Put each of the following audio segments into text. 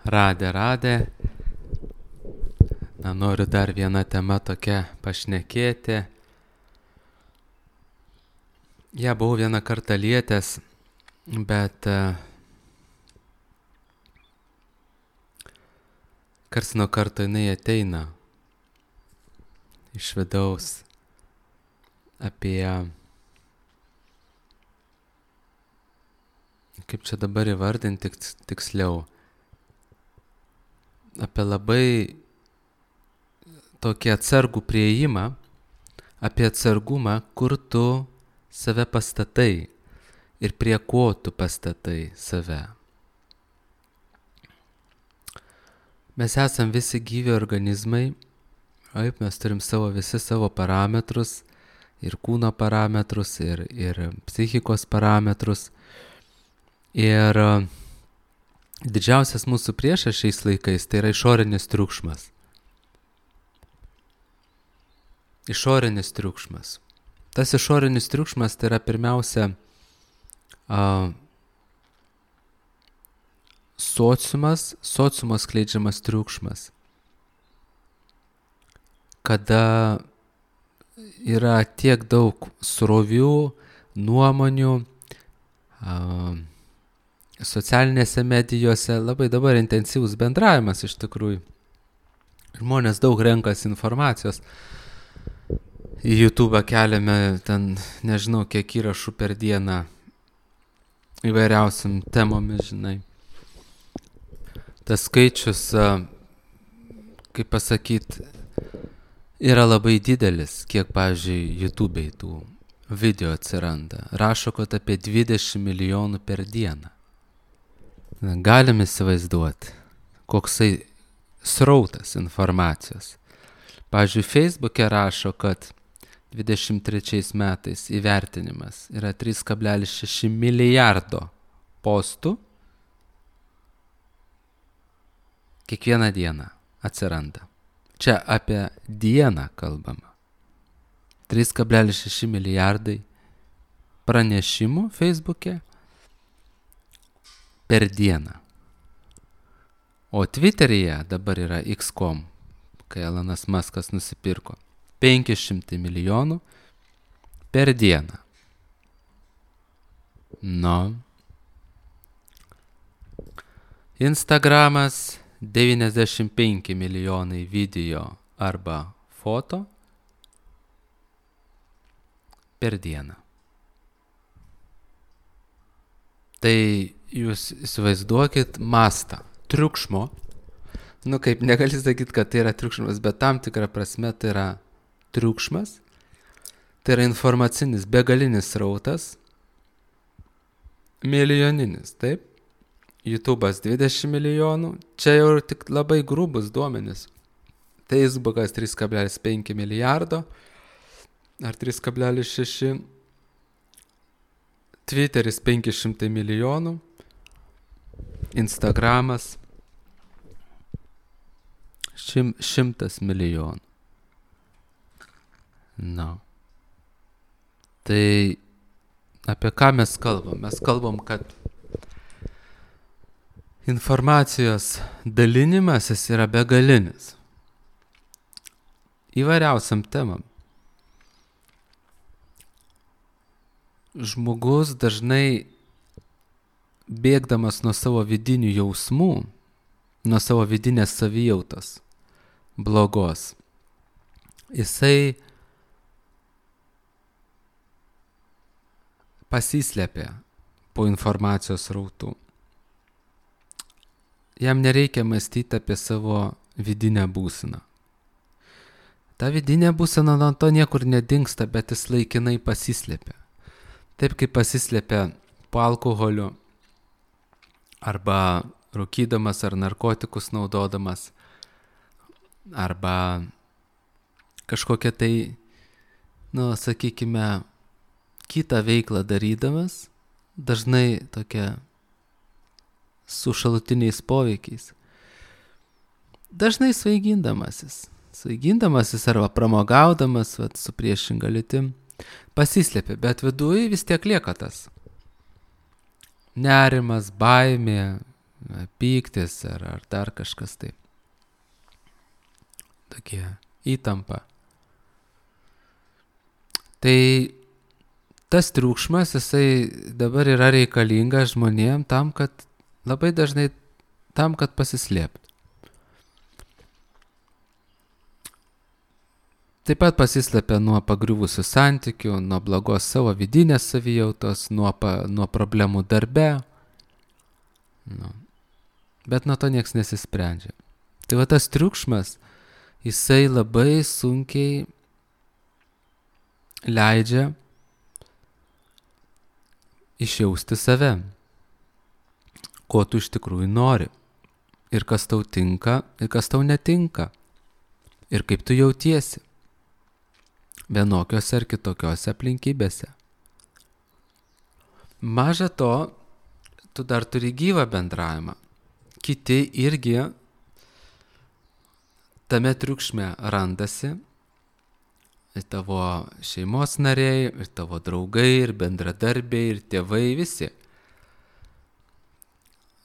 Radė. Noriu dar vieną temą tokią pašnekėti. Ja buvau vieną kartą lietęs, bet karts nuo karto jinai ateina iš vidaus apie, kaip čia dabar įvardinti tiksliau, apie labai tokį atsargų priėjimą, apie atsargumą, kur tu save pastatai ir prie ko tu pastatai save. Mes esam visi gyvi organizmai, mes turim visi savo parametrus, ir kūno parametrus, ir psichikos parametrus. Ir didžiausias mūsų priešas šiais laikais tai yra išorinis triukšmas. Išorinis triukšmas. Tas išorinis triukšmas tai yra pirmiausia sociumo skleidžiamas triukšmas. Kada yra tiek daug srovių, nuomonių, socialinėse medijose, labai dabar intensyvus bendravimas iš tikrųjų. Žmonės daug renkasi informacijos. Į YouTube keliame ten, nežinau, kiek įrašų per dieną įvairiausiam temomis, žinai. Tas skaičius, kaip pasakyti, yra labai didelis, kiek, pavyzdžiui, YouTube'ai tų video atsiranda. Rašo, kad apie 20 milijonų per dieną. Galim įsivaizduoti, koksai srautas informacijos. Pavyzdžiui, Facebook'e rašo, kad 23 metais įvertinimas yra 3,6 milijardo postų kiekvieną dieną atsiranda. Čia apie dieną kalbama. 3,6 milijardai pranešimų Facebook'e per dieną. O Twitter'yje dabar yra X.com, kai Elonas Muskas nusipirko. 500 milijonų per dieną. Instagramas 95 milijonai video arba foto per dieną. Tai jūs įsivaizduokit mastą triukšmo. Kaip negali sakyti, kad tai yra triukšmas, bet tam tikrą prasme tai yra triukšmas, tai yra informacinis begalinis srautas, milijoninis, taip? YouTube'as 20 milijonų, čia jau tik labai grubus duomenys. Facebook'as 3,5 milijardo ar 3,6, Twitter'is 500 milijonų, Instagramas 100 milijonų. Tai apie ką mes kalbam? Mes kalbam, kad informacijos dalinimasis yra begalinis. Įvairiausiam temam. Žmogus dažnai bėgdamas nuo savo vidinių jausmų, nuo savo vidinės savijautos blogos, jisai pasislepia po informacijos srautų. Jam nereikia mąstyti apie savo vidinę būseną. Ta vidinė būsena nuo to niekur nedingsta, bet jis laikinai pasislepia. Taip kaip pasislepia po alkoholiu arba rūkydamas ar narkotikus naudodamas arba kažkokią tai, sakykime, kitą veiklą darydamas, dažnai tokia su šalutiniais poveikiais. Dažnai svaigindamasis arba pramogaudamas su priešinga lytim, pasislepia, bet viduj vis tiek lieka tas nerimas, baimė, pyktis ar dar kažkas taip. Tokie įtampa. Tai tas triukšmas, jisai dabar yra reikalingas žmonėm labai dažnai tam, kad pasislėptų. Taip pat pasislepia nuo pagriuvusių santykių, nuo blogos savo vidinės savijautos, nuo problemų darbe. Bet nuo to nieks nesisprendžia. Tai va tas triukšmas, jisai labai sunkiai leidžia išjausti save, ko tu iš tikrųjų nori, ir kas tau tinka, ir kas tau netinka, ir kaip tu jautiesi vienokiose ar kitokiose aplinkybėse. Maža to, tu dar turi gyvą bendravimą. Kiti irgi tame triukšme randasi, ir tavo šeimos nariai, ir tavo draugai, ir bendradarbiai, ir tėvai, visi.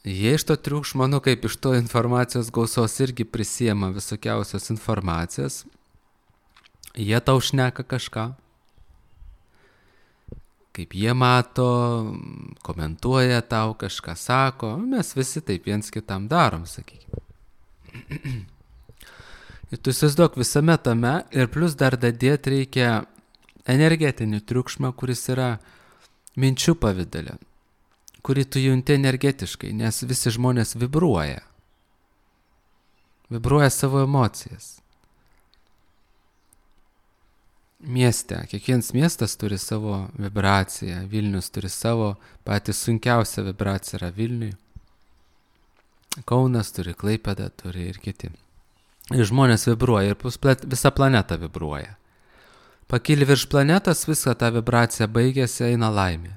Jie iš to triukšmo, kaip iš to informacijos gausos irgi prisiema visokiausios informacijos. Jie tau šneka kažką, kaip jie mato, komentuoja tau, kažką sako, mes visi taip viens kitam darom, sakykime. Ir tu įsivaizduok visame tame, ir plus dar dadėti reikia energetinį triukšmą, kuris yra minčių pavidale, kurį tu junti energetiškai, nes visi žmonės vibruoja savo emocijas. Mieste, kiekvienas miestas turi savo vibraciją, Vilnius turi savo, patys sunkiausia vibracija yra Vilniui, Kaunas turi, Klaipėda turi ir kiti. Ir žmonės vibruoja, ir visa planeta vibruoja. Pakili virš planetos, visą tą vibraciją baigėsi, eina laimė.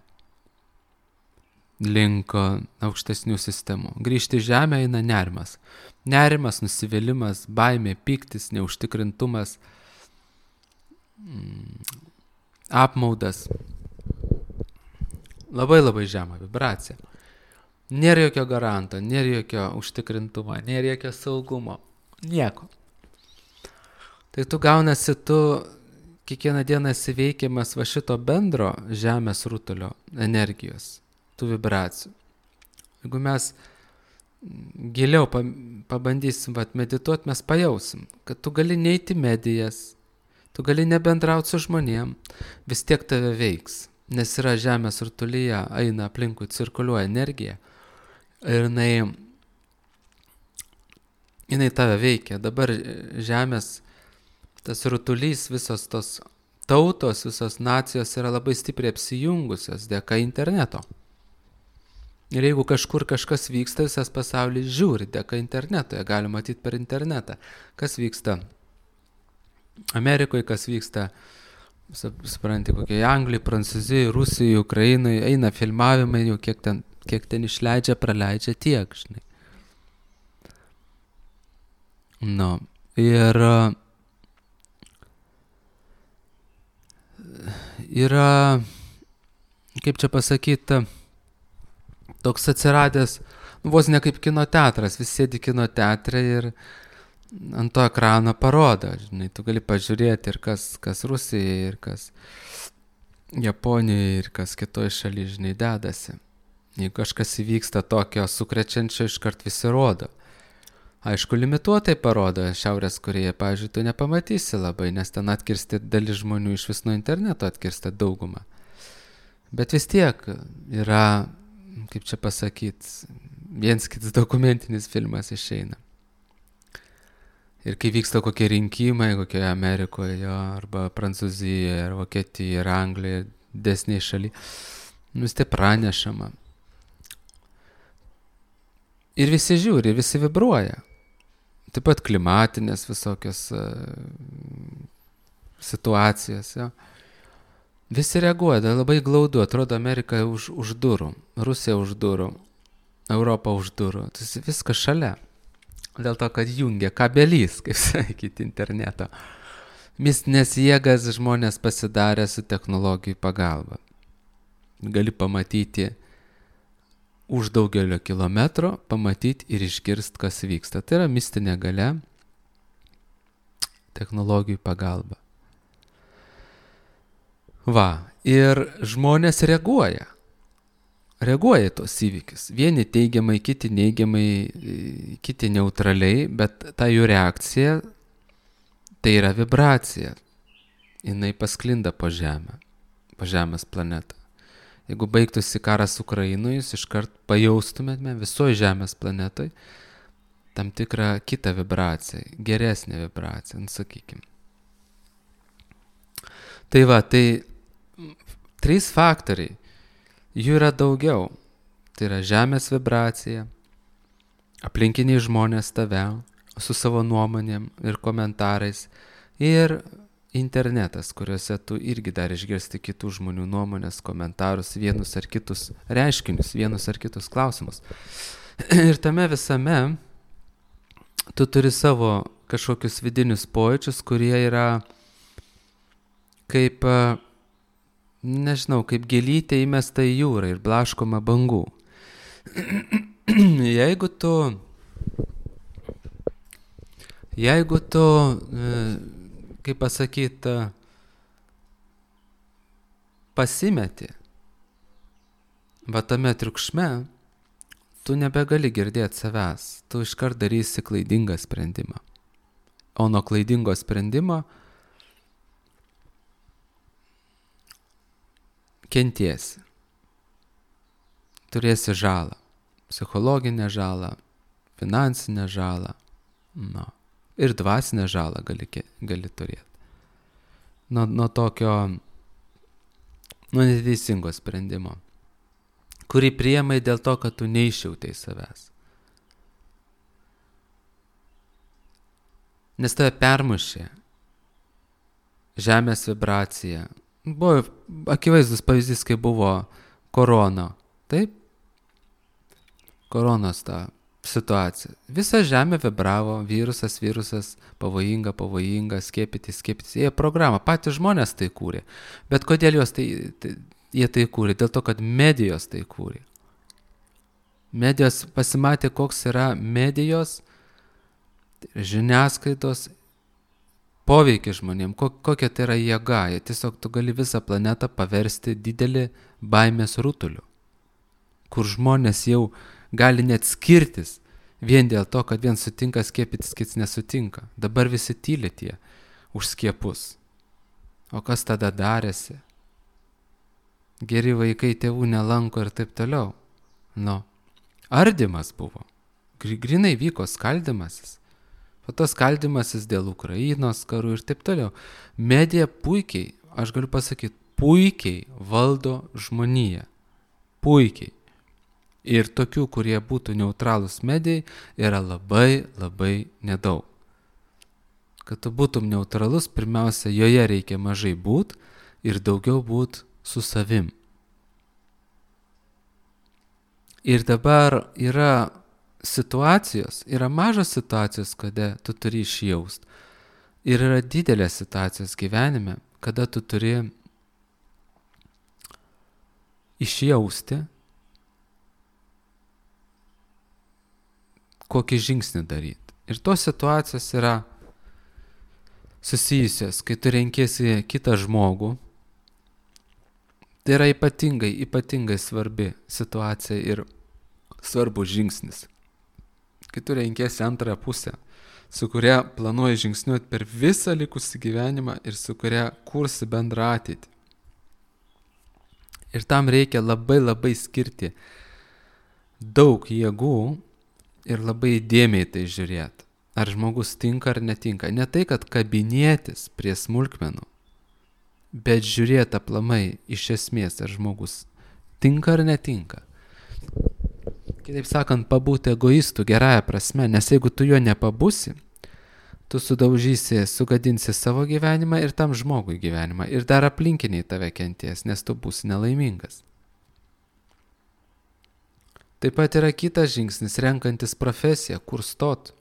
Link aukštesnių sistemų. Grįžti į žemę eina nerimas. Nerimas, nusivylimas, baimė, pyktis, neužtikrintumas, apmaudas. Labai žema vibracija. Nėra jokio garanto, nėra jokio užtikrintumo, nėra jokio saugumo. Nieko. Tai tu gaunasi, kiekvieną dieną esi veikiamas va šito bendro žemės rutulio energijos, tų vibracijų. Jeigu mes giliau pabandysim medituoti, mes pajausim, kad tu gali neiti medijas, tu gali nebendrauti su žmonėm, vis tiek tave veiks, nes yra žemės rutulyje, eina aplinkui, cirkuliuoja energija ir jinai tave veikia. Dabar žemės tas rutulys, visos tos tautos, visos nacijos yra labai stipriai apsijungusios dėka interneto. Ir jeigu kažkur kažkas vyksta, visas pasaulis žiūri dėka interneto, jie gali matyti per internetą, kas vyksta Amerikoje, kas vyksta, supranti, kokie Anglijai, Prancūzijai, Rusijai, Ukrainai, eina filmavimai, jau kiek ten išleidžia, praleidžia tiek, žinai. Ir yra, kaip čia pasakyti, toks atsiradęs, vos ne kaip kino teatras, visi sėdi kino teatre ir ant to ekrano parodo, žinai, tu gali pažiūrėti ir kas Rusijai, ir kas Japonijoje, ir kas kitoje šalyje, žinai, dedasi. Jeigu kažkas įvyksta tokio sukrečiančio, iškart visi rodo. Aišku, limituotai parodo Šiaurės Korėja, pavyzdžiui, tu nepamatysi labai, nes ten atkirsti dalis žmonių iš vis nuo interneto atkirsta daugumą. Bet vis tiek yra, kaip čia pasakyti, viens kitas dokumentinis filmas išeina. Ir kai vyksta kokie rinkimai, kokioje Amerikoje, arba Prancūzijoje, ar Vokietijoje, ar Anglijoje, desniai šaly, vis tai pranešama. Ir visi žiūri, visi vibruoja. Taip pat klimatinės visokios situacijos. Jo. Visi reaguoja, labai glaudu, atrodo Amerika už durų, Rusija už durų, Europa už durų, tai viskas šalia. Dėl to, kad jungia kabelys, kaip sakyti, interneto. Mistinės jėgas žmonės pasidarė su technologijų pagalba. Gali pamatyti už daugelio kilometro pamatyti ir išgirsti, kas vyksta. Tai yra mistinė galia, technologijų pagalba. Va, ir žmonės reaguoja į tos įvykius. Vieni teigiamai, kiti neigiamai, kiti neutraliai, bet ta jų reakcija tai yra vibracija. Jinai pasklinda po Žemę, po Žemės planetą. Jeigu baigtųsi karas Ukrainoje, jūs iškart pajaustumėte visoje Žemės planetoje tam tikrą kitą vibraciją, geresnę vibraciją, sakykim. Tai va, tai 3 faktoriai. Jų yra daugiau. Tai yra Žemės vibracija, aplinkiniai žmonės tave su savo nuomonėm ir komentarais ir internetas, kuriuose tu irgi dar išgirsti kitų žmonių nuomonės, komentarus, vienus ar kitus reiškinius, vienus ar kitus klausimus. Ir tame visame tu turi savo kažkokius vidinius pojūčius, kurie yra kaip, nežinau, kaip gėlytė įmesta į jūrą ir blaškoma bangų. Jeigu tu, kaip pasakyti, pasimeti va tame triukšme, tu nebegali girdėti savęs, tu iškart darysi klaidingą sprendimą. O nuo klaidingo sprendimo kentiesi. Turėsi žalą, psichologinę žalą, finansinę žalą, ir dvasinę žalą gali turėti. Nuo tokio, nuo neteisingo sprendimo, kurį priėmai dėl to, kad tu neišjautai savęs. Nes tave permušė Žemės vibracija. Buvo akivaizdus pavyzdys, kai buvo korona. Taip? Koronos ta situacija. Visa Žemė vibravo, virusas, pavojinga, skiepytis. Jie programą, patys žmonės tai kūrė. Bet kodėl jie tai kūrė? Dėl to, kad medijos tai kūrė. Medijos pasimatė, koks yra medijos, žiniasklaidos poveikį žmonėm, kokia tai yra jėga. Tiesiog tu gali visą planetą paversti didelį baimės rutuliu, kur žmonės jau gali net skirtis vien dėl to, kad vien sutinka skiepytis, kits nesutinka. Dabar visi tyli tie už skiepus. O kas tada darėsi? Geri vaikai tėvų nelanko ir taip toliau. Ardymas buvo. Grinai vyko skaldymasis. O tas skaldymasis dėl Ukrainos karų ir taip toliau. Medija puikiai, aš galiu pasakyti, puikiai valdo žmoniją. Puikiai. Ir tokių, kurie būtų neutralūs medijai, yra labai, labai nedaug. Kad tu būtum neutralus, pirmiausia, joje reikia mažai būt ir daugiau būt su savim. Ir dabar yra situacijos, yra mažos situacijos, kada tu turi išjaust. Ir yra didelės situacijos gyvenime, kada tu turi išjausti, kokį žingsnį daryti. Ir tos situacijos yra susijusios, kai tu renkiesi kitą žmogų. Tai yra ypatingai svarbi situacija ir svarbus žingsnis. Kai tu renkiesi antrą pusę, su kuria planuoji žingsniuoti per visą likusį gyvenimą ir su kuria kursi bendrą ateitį. Ir tam reikia labai skirti daug jėgų ir labai įdėmiai tai žiūrėti. Ar žmogus tinka ar netinka. Ne tai, kad kabinėtis prie smulkmenų, bet žiūrėti aplamai iš esmės, ar žmogus tinka ar netinka. Kitaip sakant, pabūti egoistų gerąją prasme, nes jeigu tu jo nepabūsi, tu sudaužysi, sugadinsi savo gyvenimą ir tam žmogui gyvenimą. Ir dar aplinkiniai tave kenties, nes tu būsi nelaimingas. Taip pat yra kitas žingsnis, renkantis profesiją, kur stot.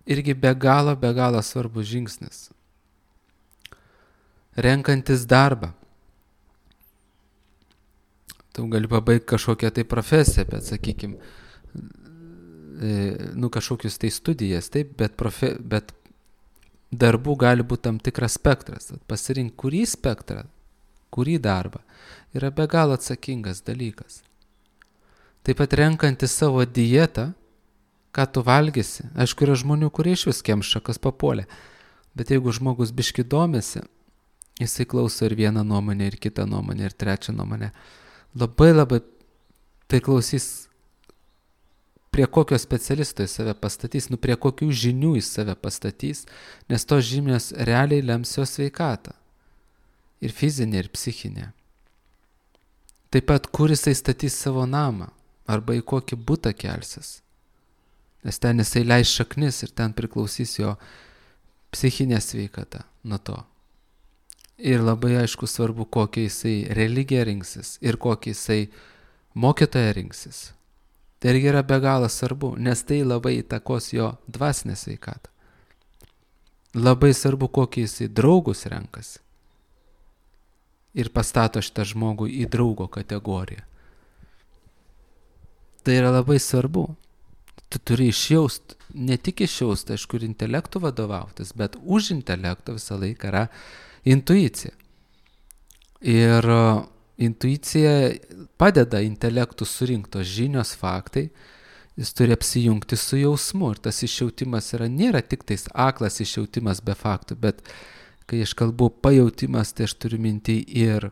Irgi be galo svarbus žingsnis. Renkantis darbą. Tu gali pabaigti kažkokią tai profesiją, bet, sakykime, kažkokius tai studijas, taip, bet darbų gali būti tam tikras spektras. Pasirinkti kurį spektrą, kurį darbą yra be galo atsakingas dalykas. Taip pat renkantis savo dietą, ką tu valgysi. Aišku, yra žmonių, kurie iš vis kemša, kas papuolė. Bet jeigu žmogus biški domisi, jisai klauso ir vieną nuomonę, ir kitą nuomonę, ir trečią nuomonę. Labai tai klausys, prie kokio specialisto jis save pastatys, prie kokių žinių jis save pastatys, nes tos žinios realiai lems jo sveikatą. Ir fizinė, ir psichinė. Taip pat, kur jisai statys savo namą, arba į kokį butą kelsis. Nes ten jisai leis šaknis ir ten priklausys jo psichinė sveikata nuo to. Ir labai aišku svarbu, kokią jisai religiją rinksis ir kokį jisai mokytoją rinksis. Tai irgi yra be galo svarbu, nes tai labai įtakos jo dvasinę sveikatą. Labai svarbu, kokį jisai draugus renkasi. Ir pastato šitą žmogų į draugo kategoriją. Tai yra labai svarbu. Tu turi išjaust, ne tik išjaust, aišku, ir intelektų vadovautis, bet už intelekto visą laiką yra intuicija. Ir intuicija padeda intelektų surinktos žinios, faktai, jis turi apsijungti su jausmu. Ir tas išjautimas nėra tik tais aklas išjautimas be faktų, bet kai aš kalbu pajautimas, tai aš turiu minti ir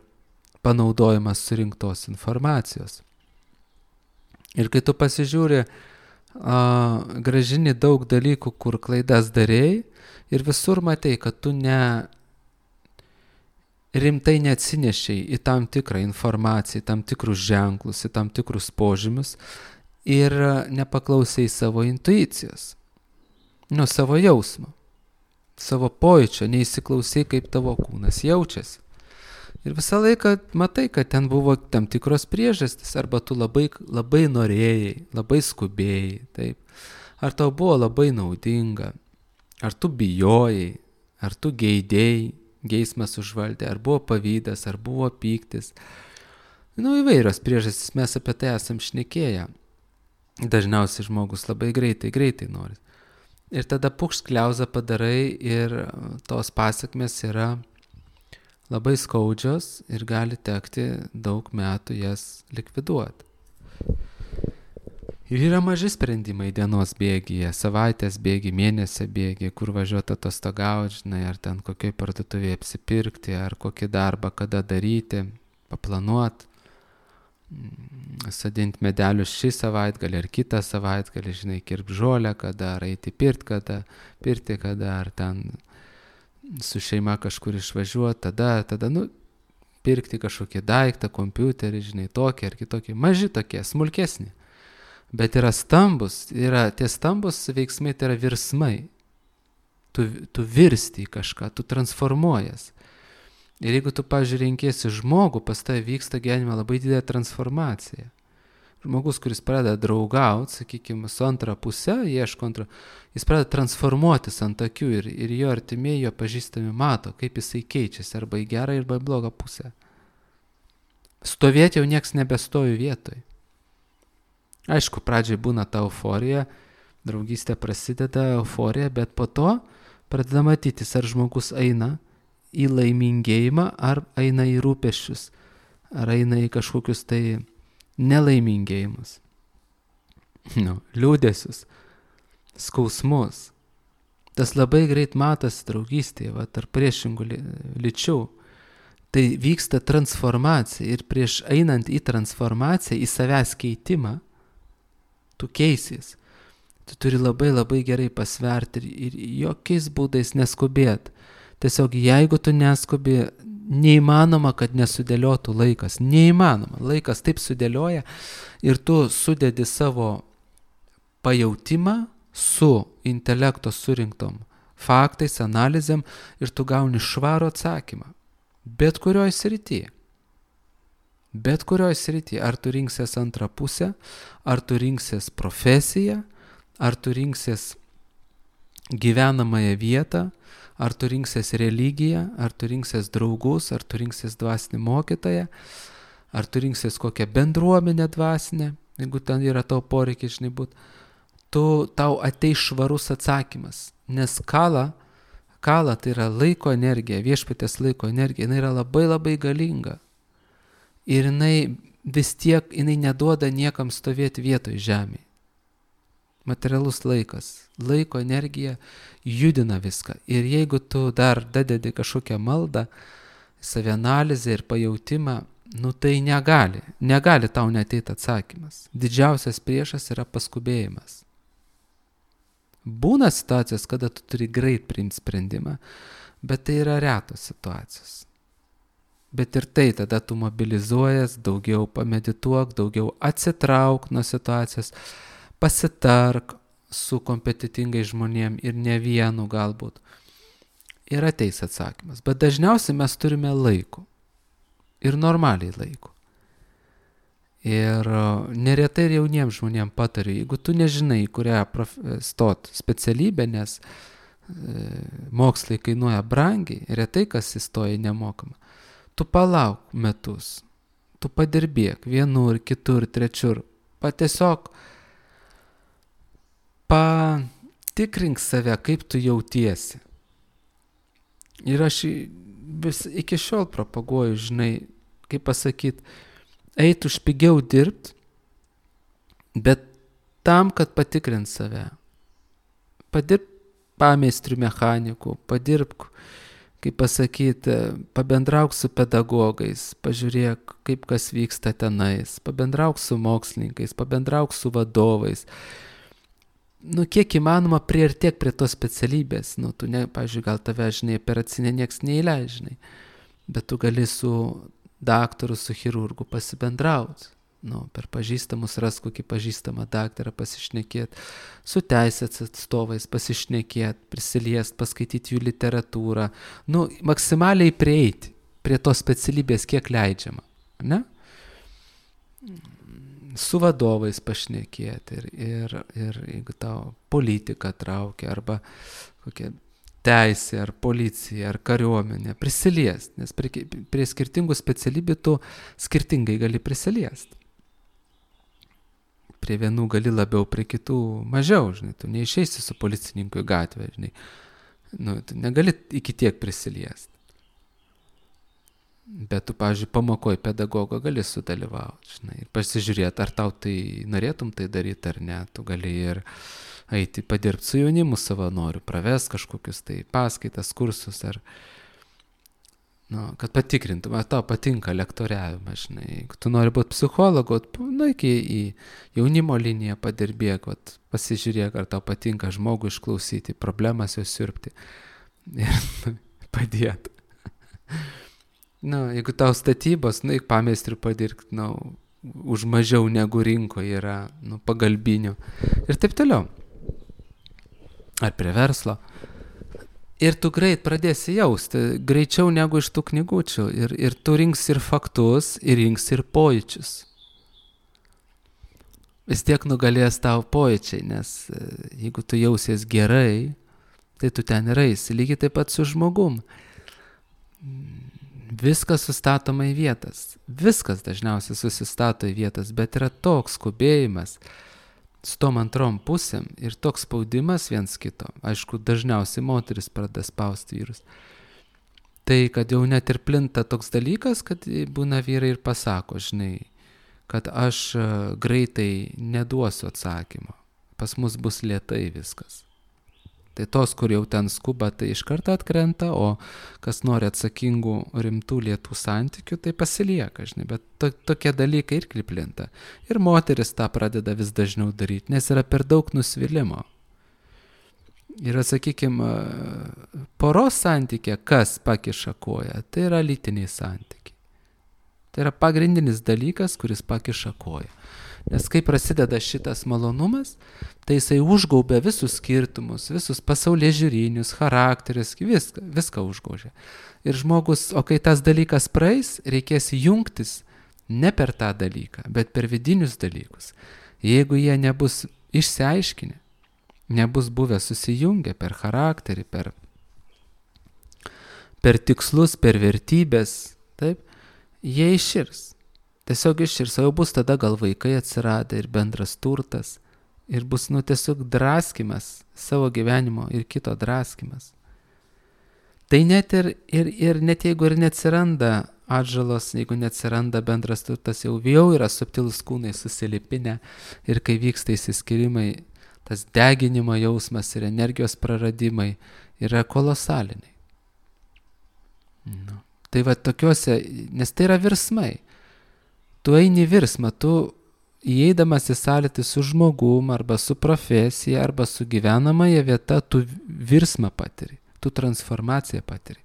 panaudojimas surinktos informacijos. Ir kai tu pasižiūri, gražini daug dalykų, kur klaidas darėjai ir visur matei, kad tu rimtai neatsinešiai į tam tikrą informaciją, į tam tikrus ženklus, į tam tikrus požymius ir nepaklausai savo intuicijos, savo jausmo, savo pojūčio, neįsiklausai, kaip tavo kūnas jaučiasi. Ir visą laiką matai, kad ten buvo tam tikros priežastys, arba tu labai norėjai, labai skubėjai, taip. Ar tau buvo labai naudinga, ar tu bijojai, ar tu geidėjai, geismas užvaldė, ar buvo pavydas, ar buvo pyktis. Įvairios priežastys, mes apie tai esam šnekėję. Dažniausiai žmogus labai greitai nori. Ir tada pukšt-kliauzą padarai ir tos pasekmės yra labai skaudžios ir gali tekti daug metų jas likviduoti. Ir yra maži sprendimai dienos bėgyje, savaitės bėgy, mėnesio bėgy, kur važiuoti atostogauti, ar ten kokioj parduotuvėje apsipirkti, ar kokį darbą kada daryti, paplanuoti, sadinti medelius šį savaitgalį ar kitą savaitgalį, kirpti žolę kada, ar eiti pirti kada, ar ten su šeima kažkur išvažiuoti, tada pirkti kažkokį daiktą, kompiuterį, tokį ar kitokį, maži tokie, smulkesni. Bet yra stambus, tie stambus veiksmai, tai yra virsmai. Tu virsti į kažką, tu transformuojas. Ir jeigu tu, pavyzdžiui, renkiesi žmogų, pas tave vyksta gyvenime labai didelė transformacija. Žmogus, kuris pradeda draugauti, sakykime, su antra puse, ieško antro, jis pradeda transformuotis ant akių ir jo artimieji, jo pažįstami mato, kaip jisai keičiasi, arba į gerą, arba į blogą pusę. Stovėti jau nieks nebestovi vietoj. Aišku, pradžiai būna ta euforija, draugystė prasideda, euforija, bet po to pradeda matytis, ar žmogus eina į laimingėjimą, ar eina į rūpesčius, ar eina į kažkokius tai nelaimingėjimus, liūdesius, skausmus. Tas labai greit matosi draugystėje, tarp priešingų lyčių. Tai vyksta transformacija ir prieš einant į transformaciją, į savęs keitimą, tu keisies. Tu turi labai gerai pasverti ir jokiais būdais neskubėti. Tiesiog jeigu tu neskubi, neįmanoma, kad nesudėliotų laikas. Neįmanoma. Laikas taip sudėlioja ir tu sudedi savo pajautimą su intelekto surinktom faktais, analizėm ir tu gauni švarų atsakymą. Bet kurioj srityje. Bet kurioj srityje. Ar tu rinksies antrą pusę, ar tu rinksies profesiją, ar tu rinksies gyvenamąją vietą, ar tu rinksies religiją, ar tu rinksies draugus, ar tu rinksies dvasinį mokytoją, ar tu rinksies kokią bendruomenę dvasinę, jeigu ten yra tavo poreikis, žinai, būt, tau ateis švarus atsakymas, nes kala tai yra laiko energija, viešpaties laiko energija, jinai yra labai labai galinga. Ir jinai vis tiek, jinai neduoda niekam stovėti vietoj žemėje. Materialus laikas, laiko energija judina viską. Ir jeigu tu dar dadedi kažkokią maldą, savianalizę ir pajautimą, tai negali tau neteiti atsakymas. Didžiausias priešas yra paskubėjimas. Būna situacijos, kada tu turi greit priimti sprendimą, bet tai yra retos situacijos. Bet ir tai tada tu mobilizuojas, daugiau pamedituok, daugiau atsitrauk nuo situacijos, pasitark su kompetitingai žmonėm ir ne vienu galbūt. Ir ateis atsakymas. Bet dažniausiai mes turime laiko. Ir normaliai laiko. Ir neretai ir jauniems žmonėms patariu, jeigu tu nežinai, kurią stot specialybę, nes mokslai kainuoja brangiai, retai kas įstoja nemokamą, tu palauk metus, tu padirbėk vienur, kitur, trečiur, tiesiog patikrink save, kaip tu jautiesi. Ir aš vis iki šiol propaguoju, žinai, kaip pasakyti, eit už pigiau dirbt, bet tam, kad patikrint save. Padirb pameistrių mechanikų, padirbk, kaip pasakyti, pabendrauk su pedagogais, pažiūrėk, kaip kas vyksta tenais, pabendrauk su mokslininkais, pabendrauk su vadovais. Kiek įmanoma priartėk prie tos specialybės. Tu, pavyzdžiui, gal tave, žinai, operacinė nieks neįleis, žinai, bet tu gali su daktaru, su chirurgu pasibendrauti. Per pažįstamus ras kokį pažįstamą daktarą pasišnekėti, su teisės atstovais pasišnekėti, prisiliest, paskaityti jų literatūrą. Maksimaliai prieiti prie tos specialybės, kiek leidžiama. Ne? Su vadovais pašnekėti ir jeigu tau politika traukia arba kokia teisė ar policija ar kariuomenė, prisiliest, nes prie skirtingų specialybių tu skirtingai gali prisiliest. Prie vienų gali labiau, prie kitų mažiau, žinai, tu neišeisi su policininku į gatvę, žinai, tu negali iki tiek prisiliest. Bet tu, pavyzdžiui, pamokoj pedagogo gali sudalyvauti, žinai, ir pasižiūrėti, ar tau tai norėtum tai daryti ar ne, tu gali ir eiti padirbti su jaunimu savanoriu, pravest kažkokius tai paskaitas, kursus, ar, kad patikrintum, ar tau patinka lektoriavimas, žinai, jeigu tu nori būti psichologu, iki į jaunimo liniją padirbėk, pasižiūrėk, ar tau patinka žmogų išklausyti, problemas jau siurbti ir padėti. Jeigu tau statybos, eik pameistriu padirbti, už mažiau negu rinkoje yra, pagalbinių ir taip toliau. Ar prie verslo. Ir tu greit pradėsi jausti, greičiau negu iš tų knygučių. Ir tu rinksi ir faktus, ir rinksi ir pojūčius. Vis tiek nugalės tavo pojūčiai, nes jeigu tu jausies gerai, tai tu ten ir eisi. Lygiai taip pat su žmogum. Viskas sustatoma į vietas. Viskas dažniausiai susistato į vietas, bet yra toks skubėjimas su tom antrom pusėm ir toks spaudimas viens kito. Aišku, dažniausiai moteris pradeda spausti vyrus. Tai, kad jau net ir plinta toks dalykas, kad būna vyrai ir pasako, žinai, kad aš greitai neduosiu atsakymo. Pas mus bus lėtai viskas. Tai tos, kur jau ten skuba, tai iš karto atkrenta, o kas nori atsakingų, rimtų, lėtų santykių, tai pasilieka, žinai, bet tokie dalykai ir plinta. Ir moteris tą pradeda vis dažniau daryti, nes yra per daug nusvilimo. Ir, sakykime, poros santykė, kas pakiša koją, tai yra lytiniai santykiai. Tai yra pagrindinis dalykas, kuris pakiša koją. Nes kai prasideda šitas malonumas, tai jisai užgaubia visus skirtumus, visus pasaulyje žiūrinius, charakterius, viską užgaužia. Ir žmogus, o kai tas dalykas praeis, reikės jungtis ne per tą dalyką, bet per vidinius dalykus. Jeigu jie nebus išsiaiškinę, nebus buvę susijungę per charakterį, per tikslus, per vertybės, taip, jie iširs. Tiesiog iščirs, o jau bus tada gal vaikai atsiradę ir bendras turtas. Ir bus, tiesiog draskimas savo gyvenimo ir kito draskimas. Tai net ir net jeigu ir neatsiranda atžalos, jeigu neatsiranda bendras turtas, jau yra subtilūs kūnai susilipinę ir kai vyksta įsiskyrimai, tas deginimo jausmas ir energijos praradimai yra kolosaliniai. Tai va tokiuose, nes tai yra virsmai. Tu eini virsmą, tu įeidamas į sąlytį su žmogum, arba su profesija, arba su gyvenamąja vieta, tu virsmą patiri, tu transformaciją patiri.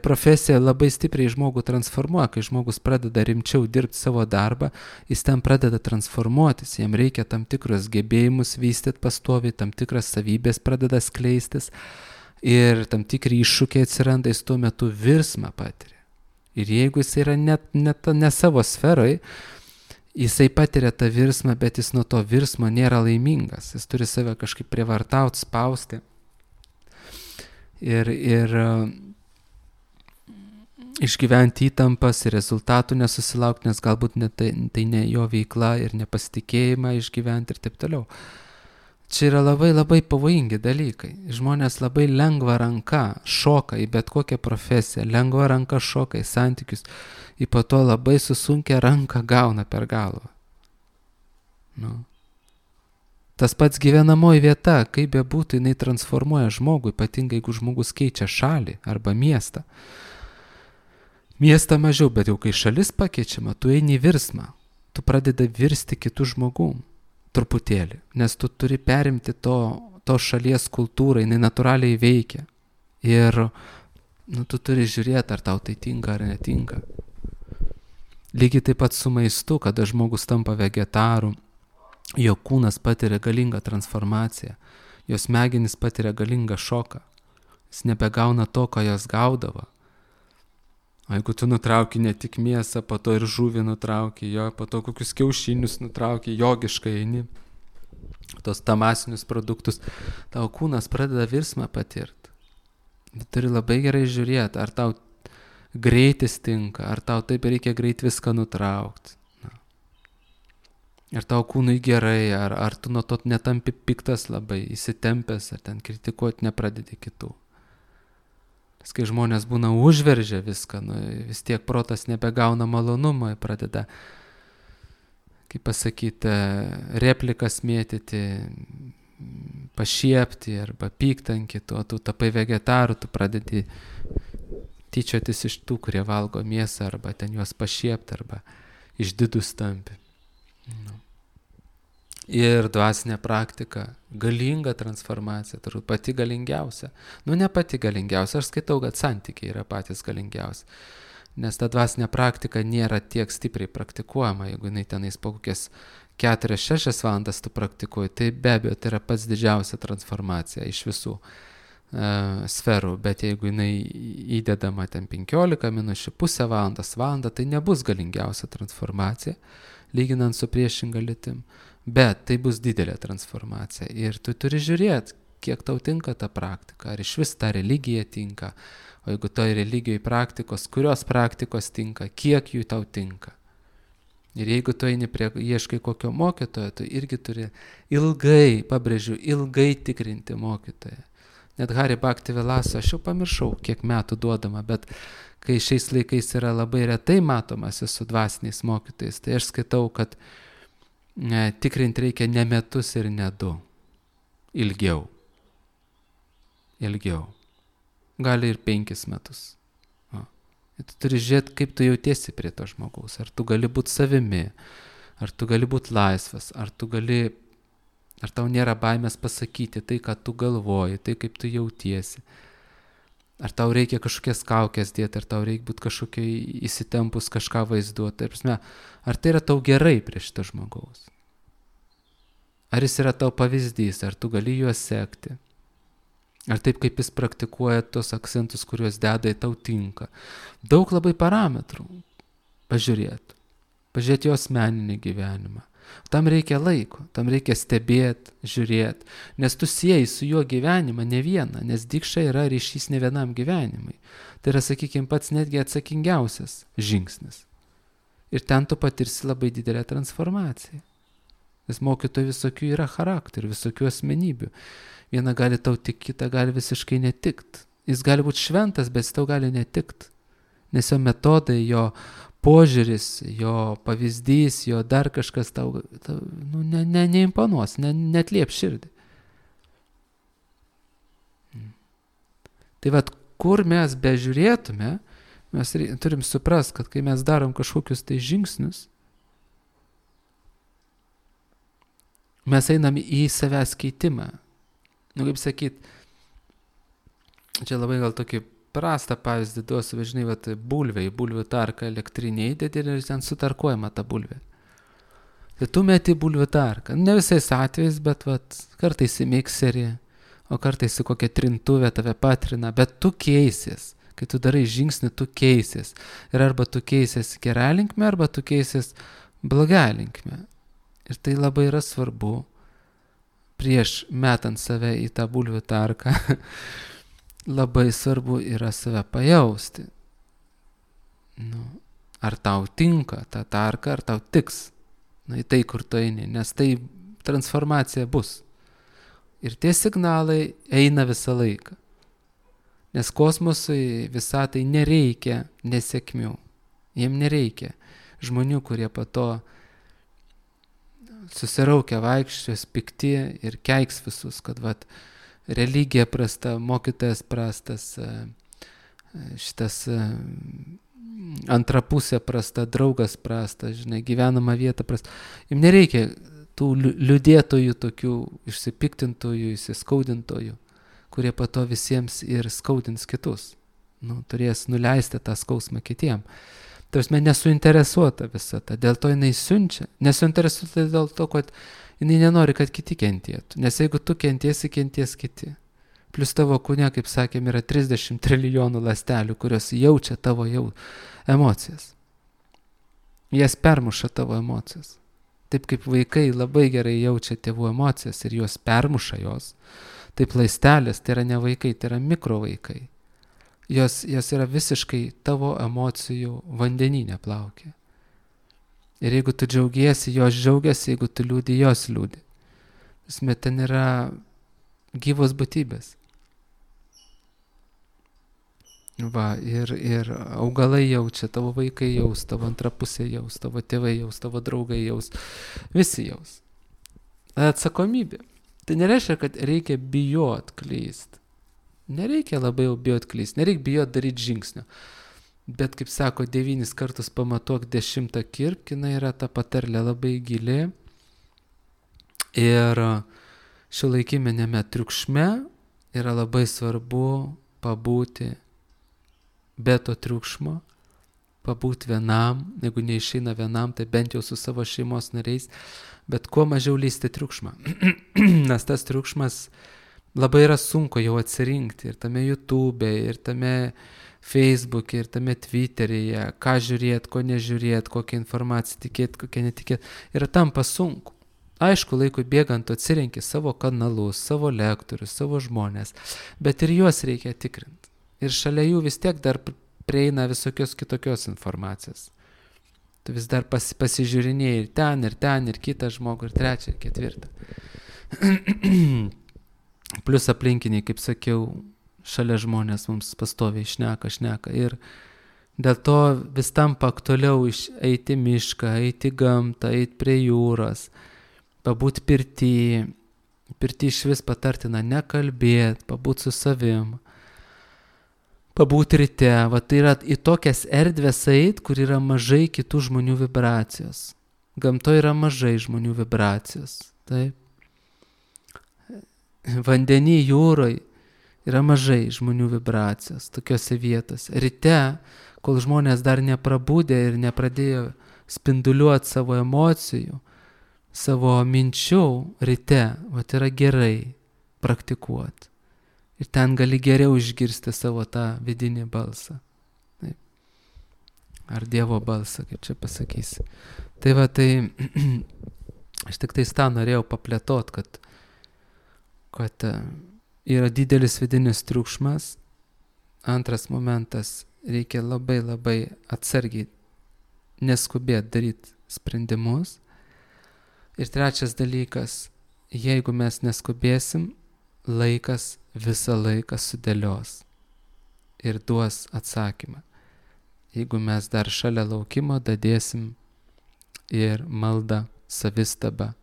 Profesija labai stipriai žmogų transformuoja, kai žmogus pradeda rimčiau dirbti savo darbą, jis ten pradeda transformuotis, jam reikia tam tikrus gebėjimus vystyti pastoviai, tam tikras savybės pradeda skleistis ir tam tikri iššūkiai atsiranda, jis tuo metu virsmą patiria. Ir jeigu jis yra ne savo sferoje, jisai patiria tą virsmą, bet jis nuo to virsmo nėra laimingas. Jis turi save kažkaip prievartauti, spausti. Ir išgyventi įtampas ir rezultatų nesusilaukti, nes galbūt tai ne jo veikla ir nepasitikėjimą išgyventi ir taip toliau. Čia yra labai labai pavojingi dalykai. Žmonės labai lengva ranka šoka į bet kokią profesiją, lengva ranka šoka į santykius, į po to labai susunkę ranką gauna per galvą. Tas pats gyvenamoji vieta, kaip bebūtų, jinai transformuoja žmogų, ypatingai jeigu žmogus keičia šalį arba miestą. Miestą mažiau, bet jau kai šalis pakeičiama, tu eini į virsmą, tu pradedi virsti kitų žmogum. Truputėlį, nes tu turi perimti to šalies kultūrą, jinai natūraliai veikia. Ir tu turi žiūrėti, ar tau tai tinka ar netinka. Lygiai taip pat su maistu, kada žmogus tampa vegetaru, jo kūnas patiria galingą transformaciją, jo smegenys patiria galingą šoką. Jis nebegauna to, ko jos gaudavo. O jeigu tu nutrauki ne tik mėsą, po to ir žuvį nutrauki, po to kokius kiaušinius nutrauki, jogiškai eini, tos tamasinius produktus, tavo kūnas pradeda virsmą patirti. Bet turi labai gerai žiūrėti, ar tau greitis tinka, ar tau taip reikia greit viską nutraukti. Ar tau kūnui gerai, ar tu nuo to netampi piktas labai, įsitempęs, ar ten kritikuoti nepradedi kitų. Nes kai žmonės būna užveržę viską, vis tiek protas nebegauna malonumo, pradeda, kaip pasakyti, replikas mėtyti, pašiepti arba pykti ant kitų, tu tapai vegetaru, tu pradedi tyčiotis iš tų, kurie valgo mėsą, arba ten juos pašiepti, arba išdidus tampi. Ir dvasinė praktika, galinga transformacija, turbūt pati galingiausia. Ne pati galingiausia, aš skaitau, kad santykiai yra patys galingiausi. Nes ta dvasinė praktika nėra tiek stipriai praktikuojama, jeigu jinai tenais po kokias 4-6 valandas tu praktikuoji, tai be abejo tai yra pats didžiausia transformacija iš visų sferų, bet jeigu jinai įdedama ten 15 minučių, pusę valandos, valandą, tai nebus galingiausia transformacija, lyginant su priešinga lytim. Bet tai bus didelė transformacija ir tu turi žiūrėti, kiek tau tinka ta praktika, ar iš vis ta religija tinka, o jeigu toj religijai praktikos, kurios praktikos tinka, kiek jų tau tinka. Ir jeigu tu eini ieškai kokio mokytojo, tu irgi turi ilgai, pabrėžiu, ilgai tikrinti mokytoją. Net Hari Bhakti Vilasa, aš jau pamiršau, kiek metų duodama, bet kai šiais laikais yra labai retai matomas su dvasiniais mokytojais, tai aš skaitau, kad tikrinti reikia ne metus ir ne 2. Ilgiau. Gali ir 5 metus. Tu turi žiūrėti, kaip tu jautiesi prie to žmogaus. Ar tu gali būti savimi, ar tu gali būti laisvas, ar tau nėra baimės pasakyti tai, ką tu galvoji, tai, kaip tu jautiesi. Ar tau reikia kažkokias kaukės dėti, ar tau reikia būti kažkokiai įsitempus kažką vaizduoti. Ar tai yra tau gerai prie šito žmogaus? Ar jis yra tau pavyzdys, ar tu gali juos sekti? Ar taip, kaip jis praktikuoja tos akcentus, kuriuos deda, į tau tinka? Daug labai parametrų pažiūrėti jo asmeninį gyvenimą. Tam reikia laiko, tam reikia stebėti, žiūrėti, nes tu sieji su juo gyvenimą ne vieną, nes dikša yra ryšys ne vienam gyvenimui. Tai yra, sakykime, pats netgi atsakingiausias žingsnis. Ir ten tu patirsi labai didelę transformaciją. Nes mokytojų visokių yra charakterių, visokių asmenybių. Viena gali tau tik, kita gali visiškai netikt. Jis gali būti šventas, bet jis tau gali netikt. Nes jo metodai, jo požiūris, jo pavyzdys, jo dar kažkas tau neimponuos, netliep širdį. Tai vat, kur mes bežiūrėtume, mes turim suprast, kad kai mes darom kažkokius tai žingsnius, mes einam į savęs keitimą. Kaip sakyt, čia labai gal tokį prastą pavyzdį duosiu, žinai, vat, bulvių tarką elektrinė įdedi ir ten sutarkuojama ta bulvė. Tai tu meti bulvių tarką. Ne visais atvejais, bet vat, kartais į mikserį, o kartais į kokią trintuvę tave patrina, bet tu keisies. Kai tu darai žingsnį, tu keisies. Ir arba tu keisies gerą linkmę, arba tu keisies blogą linkmę. Ir tai labai yra svarbu, prieš metant save į tą bulvių tarką, labai svarbu yra save pajausti. Ar tau tinka ta tarka, ar tau tiks, į tai, kur tu eini, nes tai transformacija bus. Ir tie signalai eina visą laiką. Nes kosmosui visatai nereikia nesėkmių. Jiem nereikia žmonių, kurie po to susiraukia vaikščios, pikti ir keiks visus, kad vat, religija prasta, mokytojas prastas, šitas antra pusė prasta, draugas prastas, žinai, gyvenama vieta prasta. Jiem nereikia tų liūdėtojų, tokių išsipiktintojų, įsiskaudintojų, kurie po to visiems ir skaudins kitus. Turės nuleisti tą skausmą kitiem. Tarsi nesuinteresuota visą tą, dėl to jinai siunčia. Nesuinteresuota dėl to, kad jinai nenori, kad kiti kentėtų. Nes jeigu tu kentiesi, kenties kiti. Plius tavo kūne, kaip sakėm, yra 30 trilijonų ląstelių, kurios jaučia tavo emocijas. Jas permuša tavo emocijas. Taip kaip vaikai labai gerai jaučia tėvų emocijas ir juos permuša jos. Taip ląstelės, tai yra ne vaikai, tai yra mikrovaikai. Jos yra visiškai tavo emocijų vandenyne plaukia. Ir jeigu tu džiaugiesi, jos džiaugiasi, jeigu tu liūdi, jos liūdi. Ten yra gyvos būtybės. Ir augalai jaučia, tavo vaikai jaus, tavo antra pusė jaus, tavo tėvai jaus, tavo draugai jaus, visi jaus. Atsakomybė. Tai nereiškia, kad reikia bijot klyst. Nereikia labai jau bijot klyst, nereikia bijot daryti žingsnio. Bet, kaip sako, 9 kartus pamatuok, 10 kirpk, jinai yra ta patarlė labai gili. Ir šiuolaikinėme triukšme yra labai svarbu pabūti be to triukšmo, pabūti vienam, jeigu neišeina vienam, tai bent jau su savo šeimos nariais, bet kuo mažiau lysti triukšmą. Nes tas triukšmas labai yra sunku jau atsirinkti ir tame YouTube, ir tame Facebook, ir tame Twitteryje, ką žiūrėt, ko nežiūrėt, kokią informaciją tikėt, kokią netikėt. Ir tampa sunku. Aišku, laikui bėgant atsirenki savo kanalus, savo lektorius, savo žmonės, bet ir juos reikia tikrinti. Ir šalia jų vis tiek dar prieina visokios kitokios informacijos. Tu vis dar pasižiūrinėjai ir ten, ir kitą žmogų, ir trečią, ir ketvirtą. Plius aplinkiniai, kaip sakiau, šalia žmonės mums pastoviai šneka. Ir dėl to vis tampa aktualiau eiti mišką, eiti gamtą, eiti prie jūros, pabūti pirty. Pirty iš vis patartina nekalbėti, pabūti su savim. Pabūti ryte, tai yra į tokias erdvės eit, kur yra mažai kitų žmonių vibracijos. Gamtoje yra mažai žmonių vibracijos. Taip. Vandenį, jūroje yra mažai žmonių vibracijos tokiose vietose. Ryte, kol žmonės dar neprabūdė ir nepradėjo spinduliuoti savo emocijų, savo minčių, ryte, yra gerai praktikuoti. Ir ten gali geriau išgirsti savo tą vidinį balsą. Taip. Ar Dievo balsą, kaip čia pasakysi. Tai aš tik tą norėjau paplėtot, kad yra didelis vidinis triukšmas. Antras momentas, reikia labai labai atsargiai neskubėt daryti sprendimus. Ir trečias dalykas, jeigu mes neskubėsim, laikas visą laiką sudėlios ir duos atsakymą. Jeigu mes dar šalia laukimo dadėsim ir maldą, savistabą,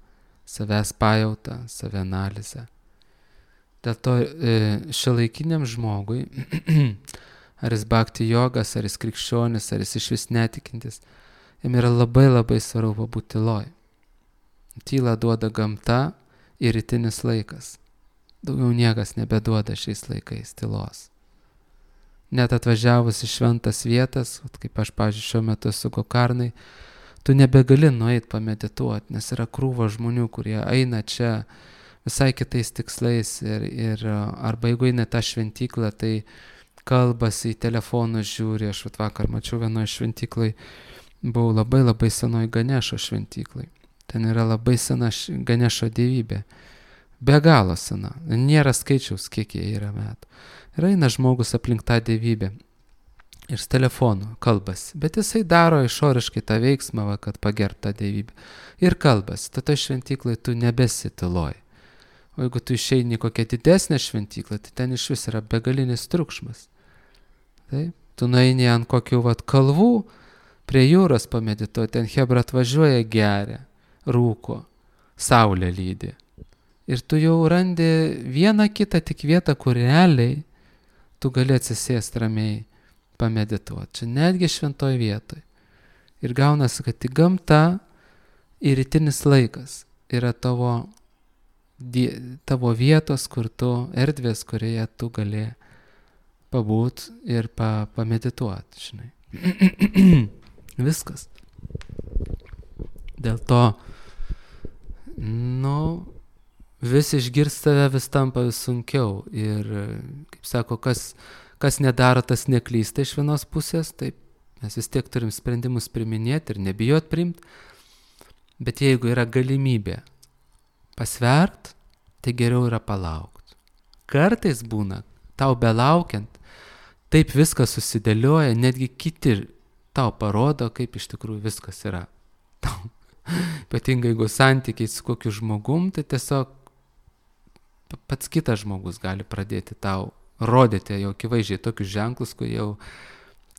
savęs pajautą, savianalizę. Dėl to šiuolaikiniam žmogui, ar jis bhakti jogas, ar jis krikščionis, ar jis išvis netikintis, jam yra labai labai svarbu būti tyloj. Tylą duoda gamta ir rytinis laikas. Daugiau niekas nebeduoda šiais laikais tylos. Net atvažiavus į šventas vietas, kaip aš, pavyzdžiui, šiuo metu esu Gokarnai, tu nebegali nueit pamedituoti, nes yra krūva žmonių, kurie eina čia visai kitais tikslais ir arba jeigu eina tą šventyklą, tai kalbasi, į telefonus žiūri. Aš vakar mačiau vienoje šventyklai, buvau labai labai senoj Ganešo šventyklai. Ten yra labai sena Ganešo dievybė. Be galo sena. Nėra skaičiaus, kiek jie yra metų. Ir eina žmogus aplink tą dievybę. Ir su telefonu kalbasi. Bet jisai daro išoriškai tą veiksmą, kad pagerbtų tą dievybę. Ir kalbasi. Tada šventyklai tu nebesi tyloj. O jeigu tu išeini kokią didesnę šventyklą, tai ten iš vis yra begalinis triukšmas. Taip? Tu nueini ant kokių kalvų prie jūros pamedituoti. Ten chebra atvažiuoja, geria, rūko, saulė lydi. Ir tu jau randi vieną kitą tik vietą, kur realiai tu gali atsisėsti ramiai pamedituoti. Čia netgi šventoj vietoj. Ir gaunasi, kad tik gamta ir rytinis laikas yra tavo vietos, kur tu erdvės, kurioje tu gali pabūt ir pamedituoti, žinai. Viskas. Dėl to, vis išgirst tave vis tampa vis sunkiau. Ir, kaip sako, kas nedaro, tas neklysta iš vienos pusės, taip mes vis tiek turim sprendimus priminėti ir nebijot priimti. Bet jeigu yra galimybė pasvert, tai geriau yra palaukti. Kartais būna, tau belaukiant, taip viskas susidėlioja, netgi kiti tau parodo, kaip iš tikrųjų viskas yra. Ypatingai jeigu santykiai su kokiu žmogum, tai tiesiog pats kitas žmogus gali pradėti tau rodyti jau akivaizdžiai tokius ženklus, kur jau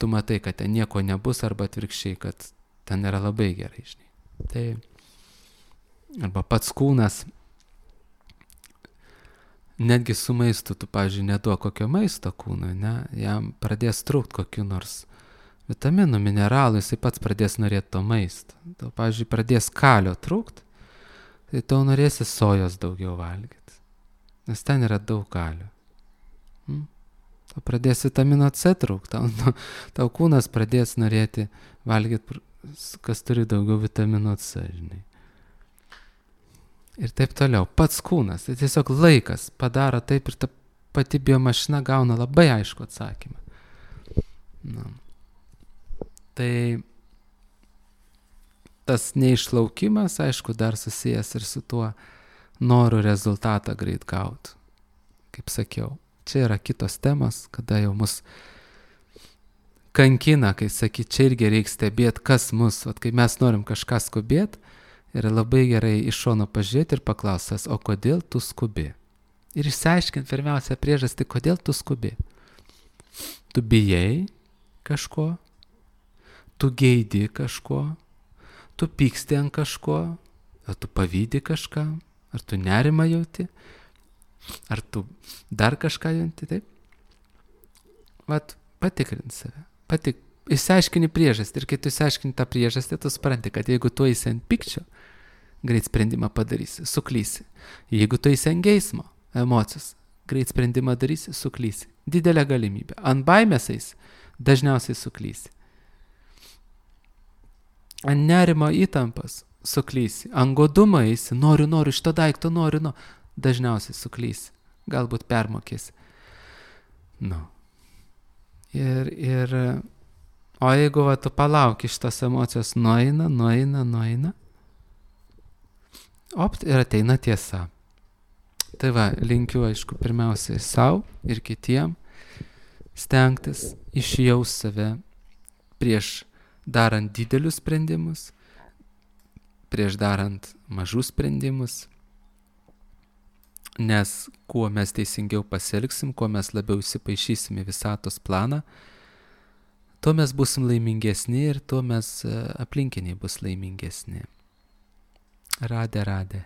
tu matai, kad ten nieko nebus, arba atvirkščiai, kad ten yra labai gerai, žinai. Tai arba pats kūnas, netgi su maistu, tu, pavyzdžiui, neduok kokio maisto kūnui, ne, jam pradės trūkt kokiu nors vitaminų, mineralų, jisai pats pradės norėti to maisto. Tau, pavyzdžiui, pradės kalio trūkt, tai tau norėsi sojos daugiau valgyti, nes ten yra daug kalio. Tau pradės vitamino C trūkt, tau kūnas pradės norėti valgyti, kas turi daugiau vitamino C, žinai. Ir taip toliau. Pats kūnas, tai tiesiog laikas padaro taip ir ta pati biomašina gauna labai aišku atsakymą. Tai tas neišlaukimas, aišku, dar susijęs ir su tuo noru rezultatą greit gauti. Kaip sakiau, čia yra kitos temos, kada jau mus kankina, kai sakyt, čia irgi reikia stebėti, kas mus, kai mes norim kažką skubėti, yra labai gerai iš šono pažiūrėti ir paklausęs, o kodėl tu skubi? Ir išsiaiškinti pirmiausia priežastį, kodėl tu skubi. Tu bijai kažko, tu geidi kažko, tu pyksti ant kažko, ar tu pavydi kažką, ar tu nerimą jauti, ar tu dar kažką jauti, taip? Vat, patikrint save, išsiaiškini priežastį ir kai tu išsiaiškini tą priežastį, tu supranti, kad jeigu tu eisi ant pykčio, greit sprendimą padarysi, suklysi. Jeigu tu eisi ant geismo, emocijos, greit sprendimą darysi, suklysi. Didelė galimybė. Ant baimės eisi, dažniausiai suklysi. Ant nerimo įtampas suklysi. Ant godumo eisi, noriu, šito daikto noriu, dažniausiai suklysi. Galbūt permokėsi. O jeigu tu palauki šitos emocijos, nueina, ir ateina tiesa. Tai va, linkiu, aišku, pirmiausiai sau ir kitiem stengtis išjaust save prieš darant didelius sprendimus, prieš darant mažus sprendimus. Nes kuo mes teisingiau pasielgsim, kuo mes labiau įsipaišysim į visatos planą, tuo mes busim laimingesni ir tuo mes aplinkiniai bus laimingesni. Radė.